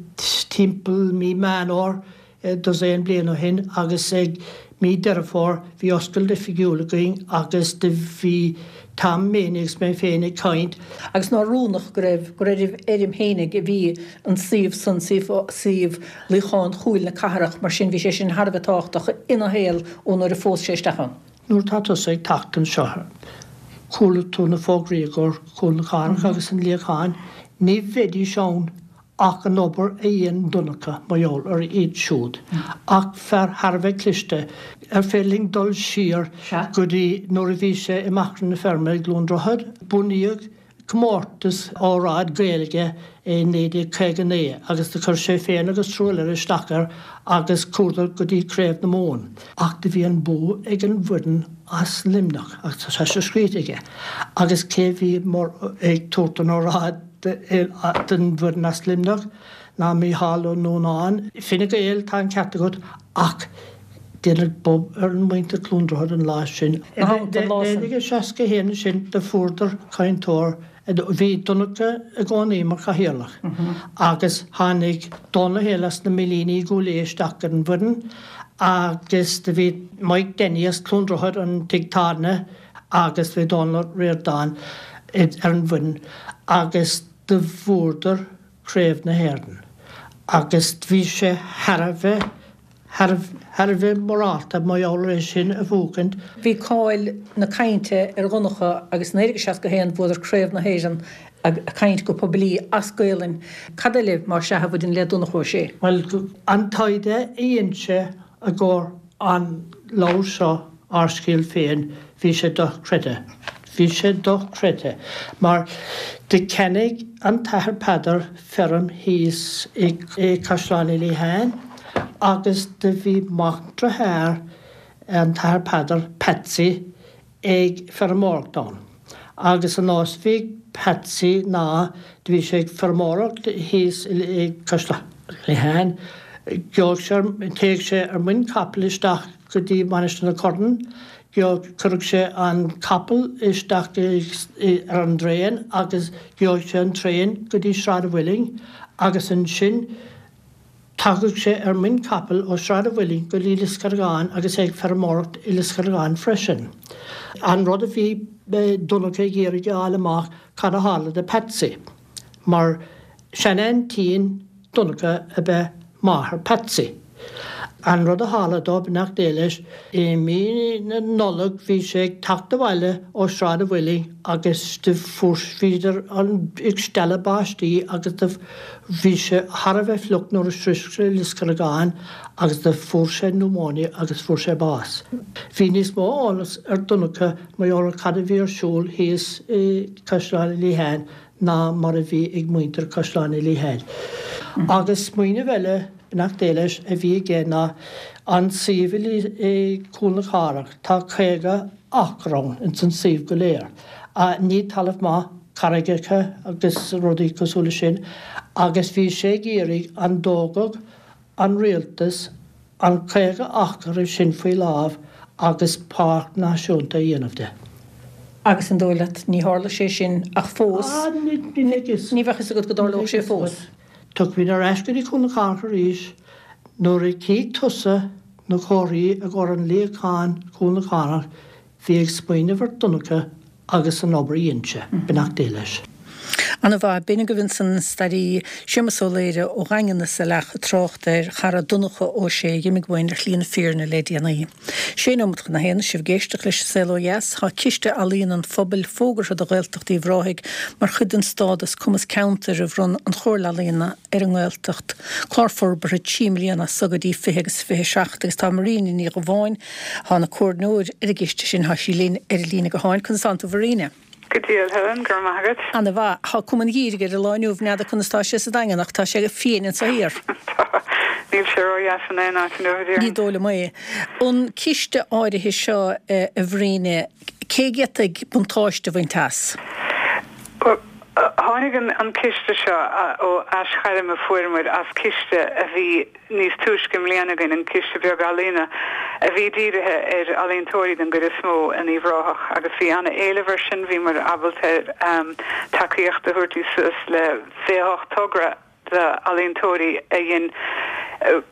timpeall mí Meán Fhómhair dosaen bliain ó shin agus ag mí Deireadh Fómhair bhí oscailt oifigiúil againn agus do bhí Tom Meaney agus mé féin ag caint. Agus nár rúnach go raibh, gur ar a fheirm fhéinig a bhí an suíomh san, suíomh, suíomh Luíochán Chúil na Cathrach, mar sin bhí sé sin thar a bheith tábhachtach ina shaol ó nuair a phós sé isteach ann. Nuair atá tusa ag teacht anseo, chuala tú na fógraí i gcomhair Chúl na Cathrach agus an Luíocháin, ní bheidís ann ach an obair a dhein Donncha mar gheall ar iad siúd. Ach fear thar a bheith cliste. Ar féidir linn dul siar go dtí nuair a bhí sé i Machaire na Feirme i gCluain Droichead? Bunaíodh comórtas óráid Gaeilge i naoi déag caoga naoi agus do chuir sé féin agus triúr eile isteach air agus chuadar go dtí Craobh na Mumhan. Ach do bhí an bua ag an bhfoireann as Luimneach agus tá sé scríte aige. Agus cé bhí mar ag tabhairt an óráid don bhfoireann as Luimneach ná Mícheál Ó Nuanáin. Fine Gael, tá an ceart agat ach deineadh bob ar an muintir Cluain Droichead an lá sin. I naoi déag seasca a haon ansin do fuaireadar cainteoir, bhí Donncha i gcónaí mar chathaoirleach agus tháinig Dónal Ó hÉalaithe as na Millíní i gCúil Aodha isteach ar an bhfoireann agus do bhí Mike Denny as Cluain Droichead, an tigh tábhairne agus bhí Dónal Ó Ríordáin ar an bhfoireann agus do bhuadar Craobh na hÉireann agus bhí sé thar a bheith thar a bheith morálta mar gheall ar é sin a bhuachaint. Bhí cáil na cainte ar Dhonncha agus naoi déag seasca a haon bhuadar Craobh na hÉireann ag caint go poiblí as Gaolainn. Cad eile mar sea a bhaineann le Donncha Ó Sé? Bhuel, an taighde a dhein sé i gcomhair an leabhair seo, Ár Scéal Féin, bhí sé dochreidte. Bhí sé dochreidte mar do cheannaigh an tAthair Peadar feirm thíos i gCaisleán Uí Liatháin agus do bhí mac dearthár an tAthair Peadar, Patsy, ag feirmeoireacht ann. Agus an nós a bhí ag Patsy ná do bhí sé ag feirmeoireacht thíos i gCaisleán Uí Liatháin Gheobhadh sé, théadh sé ar muin capaill isteach go dtí Mainistir na Corann, gheobhadh, chuirfeadh sé an capall isteach ar an dtraein agus gheobhadh sé an traein go dtí Sráid a' Mhuilinn agus ansin tagadh sé ar muin capaill ó Sráid a' Mhuilinn go dtí Lios Carragáin agus é ag feirmeoireacht i Lios Carragáin freisin. An rud a bhí Donncha ag iarraidh a fháil amach cad a tharla do Patsy mar seanaintín Donncha ab ea máthair Patsy. An rud a tharla dó, beannacht Dé leis, i mí na Nollag bhí sé ag teacht abhaile ó Sráid a' Mhuilinn agus do fuair, bhíodar ag stealladh báistí agus do bhí sé thar a bheith fliuch nuair a shroich sé Lios Carragáin agus do fuair sé pneumonia agus fuair sé bás. Bhí níos mó eolas ar Donncha mar gheall ar cad a bhí ar siúl thíos i Caisleán Uí Liatháin ná mar a bhí ag muintir Caisleán Uí Liatháin. Agus smaoineamh eile, beannacht Dé leis, a bhí aige ná an suíomh i gCúl na Cathrach, tá caoga acra ann ins an suíomh go léir. Ní talamh maith, carraigeacha agus rudaí cosúil leis sin, agus bhí sé ag iarraidh an dtógfadh an rialtas an caoga acra sin faoi láimh agus páirc náisiúnta a dhéanamh de. Agus an dóigh leat, ní tharla sé sin ach fós, ní bheadh fhios agat go dtarlódh sé fós. Tiocfaimid ar ais go dtí Cúl na Cathrach arís nuair a tchífidh tusa na comharthaí i gcomhair an luíochán Cúl na Cathrach, bhí ag smaoineamh ar Donncha agus an obair a dhein sé, beannacht Dé leis. Ana mhaith. B'in agaibh ansan an staraí Séamus Ó Laoire ó Dhaingean na Saileach ag trácht ar chara Donncha Ó Sé a dh'imigh uainn ar shlí na fírinne le déanaí. Sé nóimeat chun a haon, sibh ag éisteacht leis An Saol Ó Dheas. Tá Ciste Ealaíon an Phobail fógartha do Ghaeltacht Uíbh Ráthaigh mar chuid den stádas Cumas Ceantair a bhronn an Chomhairle Ealaíon ar an nGaeltacht. Clár forbartha trí mbliana as so go dtí fiche agus fiche seacht agus tá Marina Ní Dhubháin, atá ina comhairleoir ar an gciste sin, tá sí linn ar an líne gutháin. Conas tánn tú a Mharina? Go diail, Helen, go raibh maith agat. Ana mhaith. Tá cuma an gheimhridh ar an lá inniu, n'fheadar conas tá sé sa Daingean ach tá sé fiain anso thiar. Tá. Níl sé ró-dheas in aon áit inniu, a déarfainn. Ní dóigh liom é. An ciste áirithe seo, a Mharina, cé a d'fhéadfadh buntáiste a bhaint as? Bhuel, tháinig an ciste seo ó aisghairm a fuair muid as ciste a bhí níos túisce i mbliana againn, an Ciste Beag Ealaíona, a bhí dírithe ar ealaíontóirí den gcuid is mó in Uíbh Ráthach agus bhí an-éileamh air sin, bhí muid ábalta tacaíocht a thabhairt suas le fiche a hocht togra d'ealaíontóirí a dhein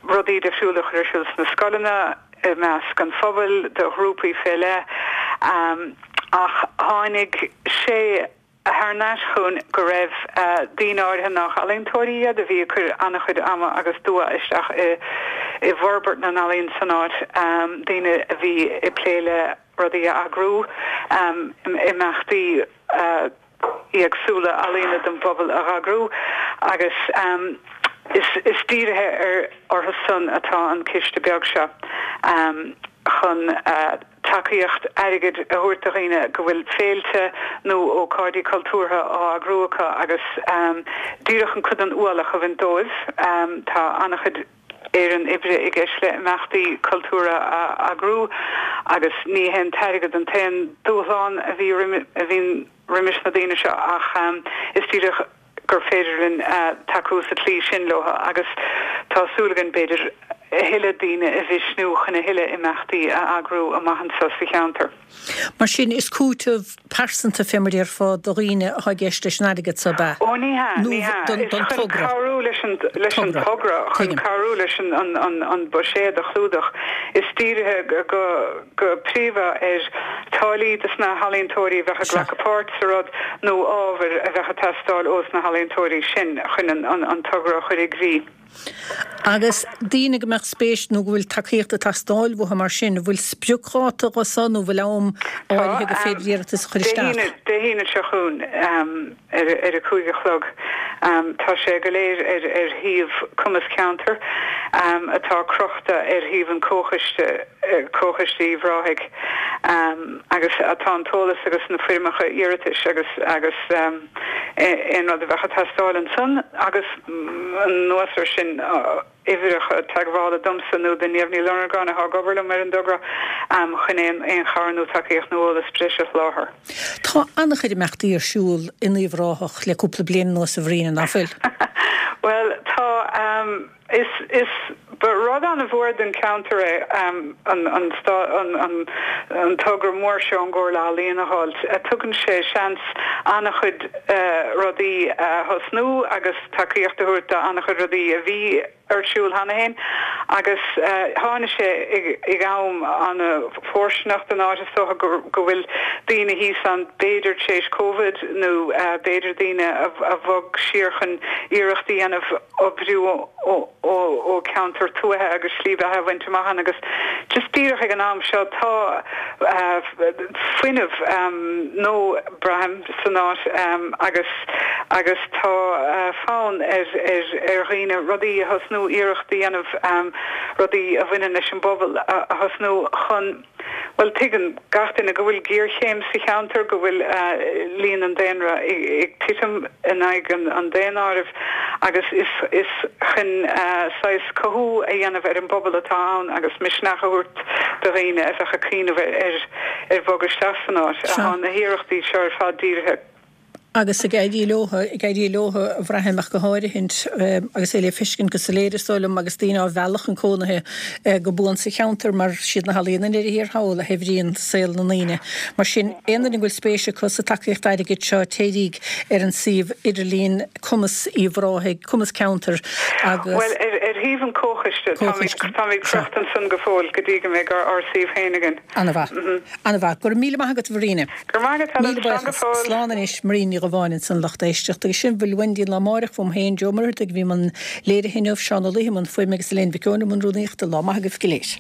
rudaí difriúla a chur ar siúl sna scoileanna, i measc an phobail, do ghrúpaí fé leith. Ach tháinig sé. thar n-ais chugainn go raibh daoine áirithe nach ealaíontóirí iad a bhí ag cur an-chuid ama agus dua isteach i i bhforbairt na n-ealaíon san áit, daoine a bhí ag plé le rudaí a eagrú, imeachtaí éagsúla ealaíona don bpobal a eagrú agus is is dírithe ar orthu san atá an ciste beag seo chun tacaíocht airgid a thabhairt do dhaoine go bhfuil féilte nó ócáidí cultúrtha á eagrú acu agus díreach an cuid den ualach a bhaint dóibh. Tá an-chuid éireann oibre i gceist le imeachtaí cultúrtha a eagrú agus ní hé an t-airgead an t-aon dúshlán a bhí a bhíonn roimis na daoine seo ach is díreach gur féidir linn tacú sa tslí sin leo agus tá súil againn, b'fhéidir, a thuilleadh daoine a mhisniú chun a thuilleadh imeachtaí a eagrú amach anseo sa cheantar. Mar sin, is cúiteamh pearsanta, fé mar déarfá, do dhaoine atá i gceist leis an airgead so, ab ea? Ó, ní hea, ní hea. Is chun cabhrú leis an, leis an togra, chun cabhrú leis an, an, an buiséad a chlúdach. Is dírithe go, go príomha ar táillí dos na healaíontóirí a bheadh ag glacadh páirt sa rud nó ábhair a bheadh ag teastáil ós na healaíontóirí sin chun an togra a chur i gcrích. Agus daoine go mbeadh spéis nó go bhfuil tacaíocht ag teastáil uathu mar sin, an bhfuil spriocdháta dhó so nó an bhfuil am áirithe gur féidir iarratas a chur isteach? Dé hAoine seo chugainn ar a cúig a chlog. Tá sé go léir ar ar shuíomh Cumas Ceantair atá crochta ar shuíomh an Comhchoiste, Comhchoiste Uíbh Ráthaigh, agus tá an t-eolas agus na foirmeacha iarratais agus agus aon rud a bheadh ag teastáil ansan agus anuas ar sin uimhreacha teagmhála domsa nó do Niamh Ní Lonergáin atá ag obair liom ar an dtogra chun aon aon chabhair nó tacaíocht nó eolas breise a sholáthar. Tá an-chuid imeachtaí ar siúl in Uíbh Ráthach le cúpla bliain anuas a Mharina, ná fuil? Bhuel, tá. Is is ba rud an-mhór don cheantar é an an an an togra mór seo ón gComhairle Ealaíon a fháil. Tugann sé seans an-chuid rudaí a thosnú agus tacaíocht a thabhairt do an-chuid rudaí a bhí ar siúl cheana féin agus tháinig sé ag am an-fhóirsteanach don áit is dócha go bhfuil daoine thíos ann b'fhéidir tar éis Covid nó b'fhéidir daoine a bhog siar chun iarracht a dhéanamh oibriú ó cheantar tuaithe agus slí bheatha a bhaint amach ann agus just díreach ag an am seo tá fuinneamh nó braithim san áit agus agus tá fonn ar ar ar dhaoine rudaí a thosnú iarracht a dhéanamh rudaí a bhaineann leis an bpobal a thosnú chun bhuel tuigeann gach duine go bhfuil géarchéim sa cheantar, go bhfuil líon an daonra ag titim in aghaidh an daonáirimh agus is is chun saghas cothú a dhéanamh ar an bpobal atá ann agus misneach a thabhairt do dhaoine a bheadh ag cuimhneamh ar ar bhogadh isteach san áit atá na hiarrachtaí seo ar fad dírithe. agus ag éirí leo, ag éirí leo a bhraithim ach go háirithint agus é le feiscint go soiléir is dóigh liom agus daoine á mhealladh chun cónaithe go buan sa cheantar mar siad na healaíona i ndeireadh thiar thall a shaibhríonn saol na ndaoine. Mar sin, aon duine go bhfuil spéis acu sa tacaíocht airgid seo téiríg ar an suíomh idirlín Cumas Uíbh Ráthaigh, Cumas Ceantair agus. Bhuel, ar shuíomh an Chomhchoiste, táimid ag crocht ansan go fóill go dtí go mbeidh ár suíomh féin againn. Ana-mhaith. Ana-mhaith. Go raibh míle maith agat a Mharíne. Go raibh maith agat, Helen. Míle buíochas. Slán anois, Marín Ní Dhubháin ansan lucht éisteachta agus sin bhfuil uainn don lá amárach uaim féin, Joe Ó Muircheartaigh a bhí i mbun léirithe inniu, Seán Ó Laoithe i mbun fuaime agus Elaine Mhic Eoin i mbun rúnaíochta. Lá maith agaibh go léir.